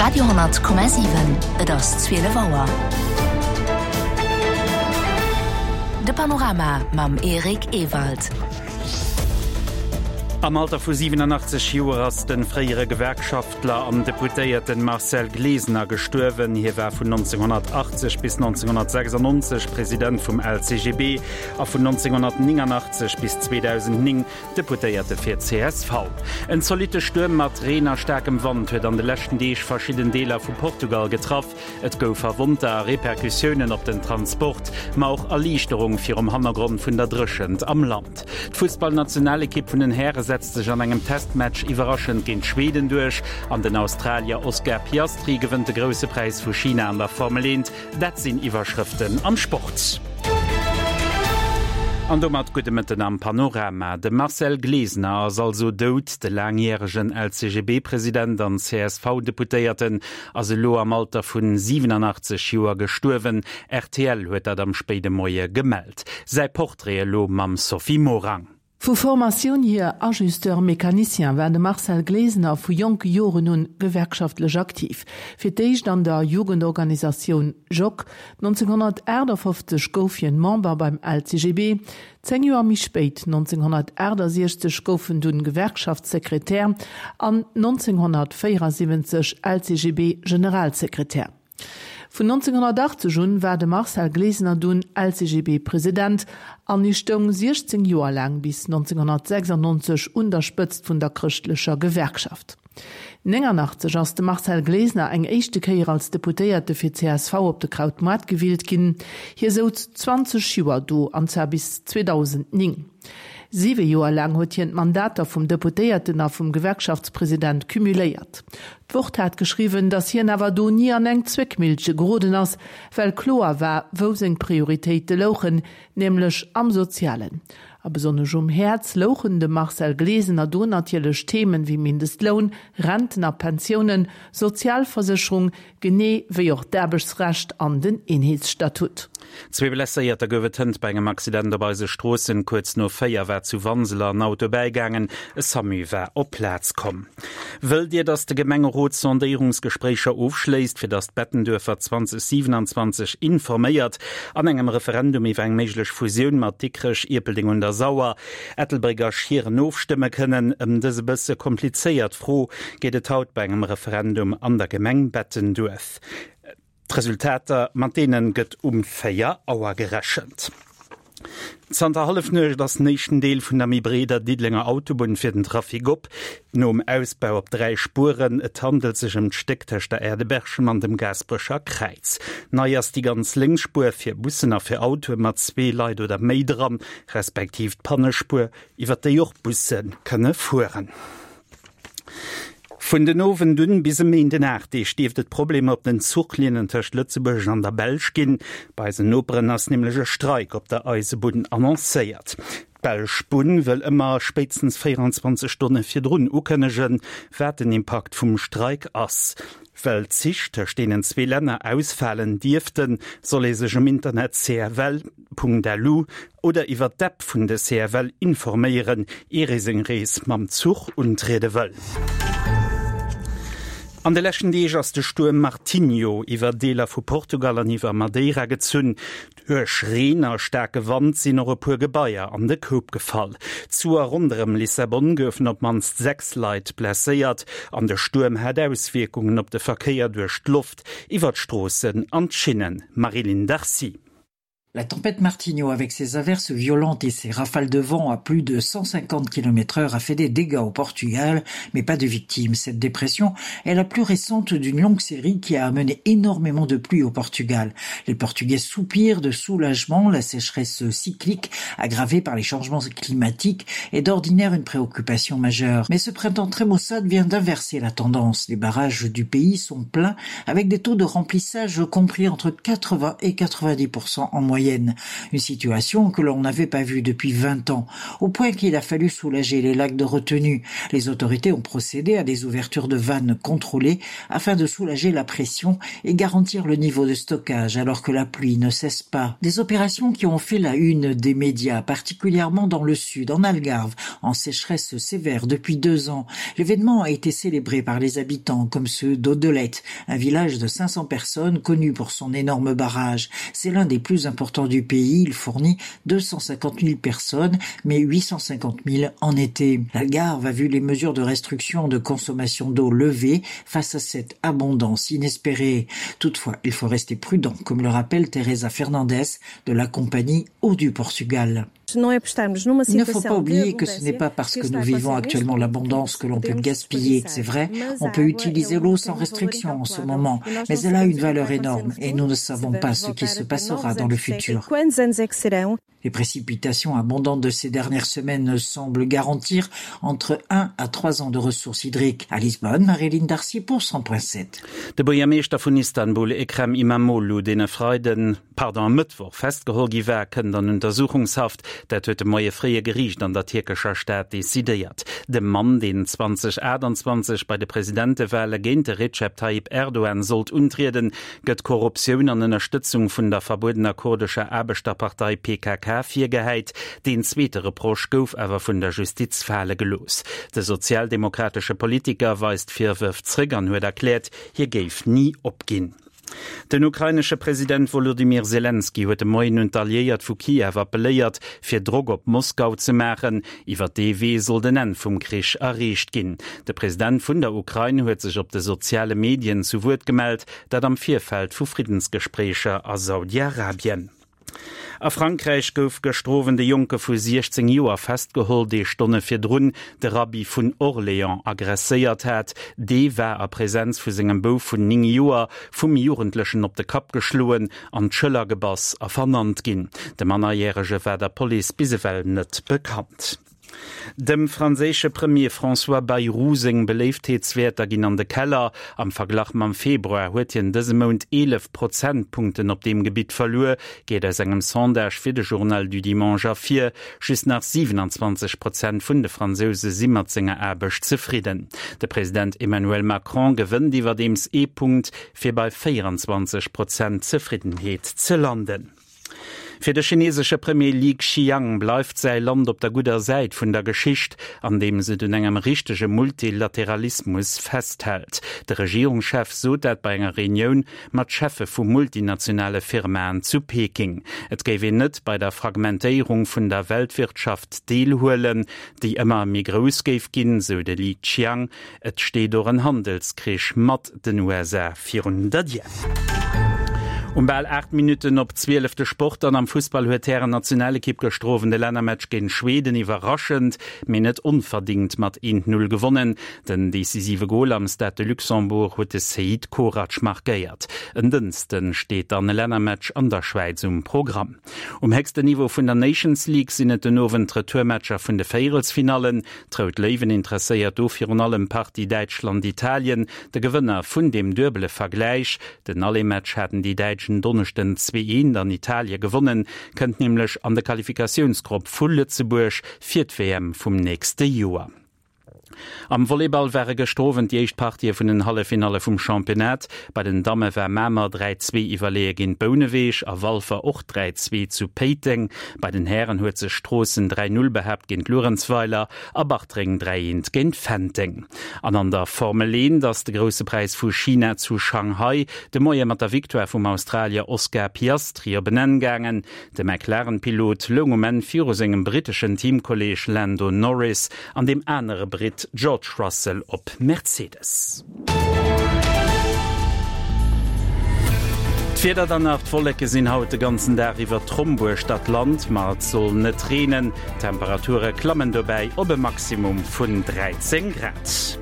Radio,7 Et ass 12 Auer. De Panorama mam Eric Ewald. Am Alter vu 87 Joer ass de fréiere Gewerkschaftler an Deputéierten Marcel Glesener gestuerwen. Hie war vun 1980 bis 1996 President vum LCGB a vun 1989 bis 2009 Deputéierte fir csv. En zolitte Stuerm mat Reen a staarkem Wand huet an de leschten Deeg verschidden Deeler vu Portugal getraff. Et gouf Verwonnter a Repercussiounen op den Transport, ma och Erliichterung virum Hannergrond vun der Dréchent am Land. D'Fussballnationalekipp vun den Häre setzt sech an engem Testmatch iwwerraschend géint Schweden duerch an den Australier Oscar Piastri gewënnt de Grousse Präis vu China an der Formel 1. Dat sinn Iwwerschrëften am Sport. An domat gudde Mëtten am Panorama. De Marcel Glesener ass also dout. De laangjäregen LCGB-President an CSV-Deputéierten ass elo am Alter vun 87 Joer gestuerwen. Rtl huet dat am spéide Moie gemellt. Säi Portrait elo mam Sophie Morang. Vu Formatioun hier Ajusteur mécanicien, war de Marcel Glesener vu jonke Joren un gewerkschaftlech aktiv. Fir d'éischt an der Jugendorganisatioun Jok. 1958 gouf hien Member beim LCGB. Zéng Joer méi spéit, 1968, gouf en dunn Gewerkschaftssekretär an 1974 LCGB-Generalsekretär. Vun 1980 un war de Marcel Glesener dunn LCGB-President an hie stoung 16 Joer laang bis 1996 un der Spëtzt vun der chrëschtlecher Gewerkschaft. 89 ass de Marcel Glesener eng éischte Kéier als Deputéierte fir csv op de Krautmoart gewielt ginn. Hie souz 20 Joer do, an zwar bis 2009. Siwe Joer laang huet hien d'Mandater vum Deputéierten a vum Gewerkschaftspresident cumuléiert. D'Wort hat geschriwwen, datt hien awer do ni an eng Zwéckmillche geroden ass, well kloer war, wou seng Prioritéite louchen, nämlech am Sozialen. A besonnesch um Häerz louchen dem Marcel Glesener do natierlech Themen wéi Mindestloun, Renten a Pensiounen, Sozialversécherung, Genee wéi och d'Aarbechtsrecht an den Eenheetsstatut. Zwee Blesséierter gouf et hënt bei engem Accident op eise Stroossen. Kuerz no 4 war zu Wanseler en Auto bäigaangen. E Samu war op d'Plaz komm. Wëllt Dir, datt de Gemengerot Sondéierungsgespréicher ofschléisst, fir datt d'Bettenduerfer 2027 informéiert an engem Referendum iwwer eng méiglech Fusioun mat Dikrech, Ierpeldeng un der Sauer, Ettelbréck a Schieren ofstëmme kënnen? Ëm dës e bësse komplizéiert Fro geet et haut bei engem Referendum an der Gemeng Bettenduerf. D'Resultater mat deene gëtt um 4 Auer gerechent. Zanter Hallefnuecht ass den éischten Deel vun der méi breeder Diddelenger Autobunn fir den Trafic op, nom Ausbau op 3 Spueren. Et handelt sech ëm d'Stéck tëscht der Aire de Berchem an dem Gaasperecher Kräiz. Nei ass déi ganz lénks Spuer fir Bussen a fir Autoe mat zwee Leit oder méi dran, respektiv d'Pannespuer, iwwer déi och Busse kënne fueren. Vun den Owend un bis e Méinden 8 Deeg dierft et Problemer op den Zuchlinnen tëscht Lëtzebuerg an der Belsch ginn. Bei eisen Noperen ass nämlech e Streik op der Eisebunn annoncéiert. D'belsch Bunn wëll ëmmer spéitstens 24 Stonne virdrun ukënnegen, wat den Impakt vum Streik ass. Well d'Zich tëscht deenen zwee Länner ausfalen dierften, soll ee sech um Internet cfl.lu oder iwwer d'App vun de CFL informéieren, ier ee seng Rees mam Zuch untriede wëll. An de leschten Deeg ass de Stuerm Martinho iwwer Deeler vu Portugal an iwwer Madeira gezunn. Duerch Reen a staarke Wand sinn och e puer Gebaier an de Koup gefall. Zu a ronderëm Lissabon goufen op d'mannst 6 Leit blesséiert an de Stuerm hat Auswierkungen op de Verkéier duerch d'Loft, iwwer d'Stroossen an d'Schinnen. Marie-Line Darcy. La tempête Martinho avec ses averses violentes et ses rafales de vent à plus de 150 km heure a fait des dégâts au Portugal, mais pas de victimes. Cette dépression est la plus récente d'une longue série qui a amené énormément de pluie au Portugal. Les Portugais soupirent de soulagement, la sécheresse cyclique aggravée par les changements climatiques est d'ordinaire une préoccupation majeure. Mais ce printemps très maussade vient d'inverser la tendance. Les barrages du pays sont pleins avec des taux de remplissage compris entre 80 et 90% en moyenne. moyenne. Une situation que l'on n'avait pas vue depuis 20 ans, au point qu'il a fallu soulager les lacs de retenue. Les autorités ont procédé à des ouvertures de vannes contrôlées afin de soulager la pression et garantir le niveau de stockage alors que la pluie ne cesse pas. Des opérations qui ont fait la une des médias, particulièrement dans le sud, en Algarve, en sécheresse sévère depuis deux ans. L'événement a été célébré par les habitants comme ceux d'Odelette, un village de 500 personnes connu pour son énorme barrage. C'est l'un des plus importants du pays. Il fournit 250 000 personnes, mais 850 000 en été. L'Algarve a vu les mesures de restriction de consommation d'eau levées face à cette abondance inespérée. Toutefois, il faut rester prudent, comme le rappelle Teresa Fernandez de la compagnie Eau du Portugal. Il ne faut pas oublier que ce n'est pas parce que nous vivons actuellement l'abondance que l'on peut gaspiller. C'est vrai, on peut utiliser l'eau sans restriction en ce moment, mais elle a une valeur énorme et nous ne savons pas ce qui se passera dans le futur. Les précipitations abondantes de ces dernières semaines semblent garantir entre 1 à 3 ans de ressources hydriques. À Lisbonne, Marilyn Darcy pour 100.7. De Buergermeeschter vun Istanbul, Ekrem Imamoglu, deen e Freiden, pardon, e Mëttwoch festgeholl gi war, kënnt an Untersuchungshaft. Dat huet de Moie fréi e Geriicht an der tierkescher Stad decidéiert. De Mann, deen 2028 bei de Presidentewale géint de Recep Tayyip Erdogan sollt untrieden, gëtt Korruptioun an Ënnerstëtzung vun der verbuedener kurdescher Aarbechterpartei PKK virgehäit. Deen zweete Reproche gouf awer vun der Justiz fale gelooss. De sozialdemokratesche Politiker weist d'Virwërf zréck an huet erkläert, hie géif ni opginn. Den ukrainesche President Wolodymyr Selenskyj huet de Moien un d'Alliéiert vu Kiew appelléiert, fir Drock op Moskau ze maachen. Iwwer dee Wee soll den Enn vum Krich erreecht ginn. De President vun der Ukrain huet sech op de soziale Medien zu Wuert gemellt, dat am Virfeld vu Friddensgespréicher a Saudi-Arabien. A Frankräich gouf gëschter Owend e Jonke vu 16 Joer festgeholl, dee Stonne virdrun de Rabbi vun Orléans aggresséiert hat. Dee war a Presenz vu sengem Bouf vun 9 Joer vum Jugendlechen op de Kapp geschloen, an d'Schëller gebass a vernannt ginn. De Mannerjärege war der Police bis ewell net bekannt. Dem franséische Premier François Bayrou seng Beléiftheetswäerter ginn an de Keller. Am Verglach mam Februar huet hien dëse Mount 11 Prozentpunkten op deem Gebitt verluer, geet aus engem Sondage fir de Journal du Dimanche ervir. Just nach 27 Prozent vun de Fransouse si mat senger Aarbecht zefridden. De President Emmanuel Macron gewënnt iwwerdeems ee Punkt, fir bei 24 Prozent Zefriddenheet ze landen. Fir de chinesesche Premier Li Qiang bleift säi Land op der gudder Säit vun der Geschicht, andeems et un engem richtege Multilateralismus festhält. De Regierungschef sot dat bei enger Reunioun mat Cheffe vu multinationale Firmaen zu Peking. Et géif een net bei der Fragmentéierung vun der Weltwirtschaft deelhuelen, déi ëmmer méi grouss géif ginn, sou de Li Qiang. Et steet och en Handelskrich mat den USA virun der Dier. Um bal 8 Minutten op 12 de Sport an am Fussball huet d'Hären-Nationalekipp gëschter Owend de Lännermatch géint Schweden iwwerraschend, mee net onverdingt mat 1, 0 gewonnen. Den decisive Gol am Stade de Luxembourg huet de Seid Korac markéiert. En Dënsten steet dann e Lännermatch an der Schwäiz um Programm. Um héchsten Niveau vun der Nations League sinn et den Owend d'Retourmatcher vun de Véierelsfinallen. D'Rout Léiwen interesséiert do virun allem d'Partie Däitschland-Italien, de Gewënner vun deem duebele Vergläich, den Aller-Match haten déi Däitsch en Donneschden 2, 1 an Italie gewonnen, kënnt nämlech an de Qualifikatiounsgrupp vu Lëtzebuerg fir d'WM vum nächste Joer. Am Volleyball ware gëschter Owend déi éischt Partië vun den Halleffinalle vum Championnat. Bei den Damme war Mamer 3, 2 iwwerleeë géint Bouneweg a Walfer och 3, 2 zu Péiteng. Bei den Hären huet sech Stroossen 3, 0 behaapt géint Luerenzweiler a Bartreng 3, 1 géint Fenteng. An an der Formel 1 ass de Grousse Präis vu China zu Shanghai de Moie mat der Victoire vum Australier Oscar Piastri op en Enn gaangen. De McLaren-Pilot loung um Enn viru sengem britteschen Teamkolleeg Lando Norris an deem anere Britt George Russell op Mercedes. D'Wieder dann nach, D'Wolleke sinn haut de ganzen Dag iwwer Tromp uechter d'Land, ma et soll net reenen. D'Temperature klammen dobäi op e Maximum vun 13 Grad.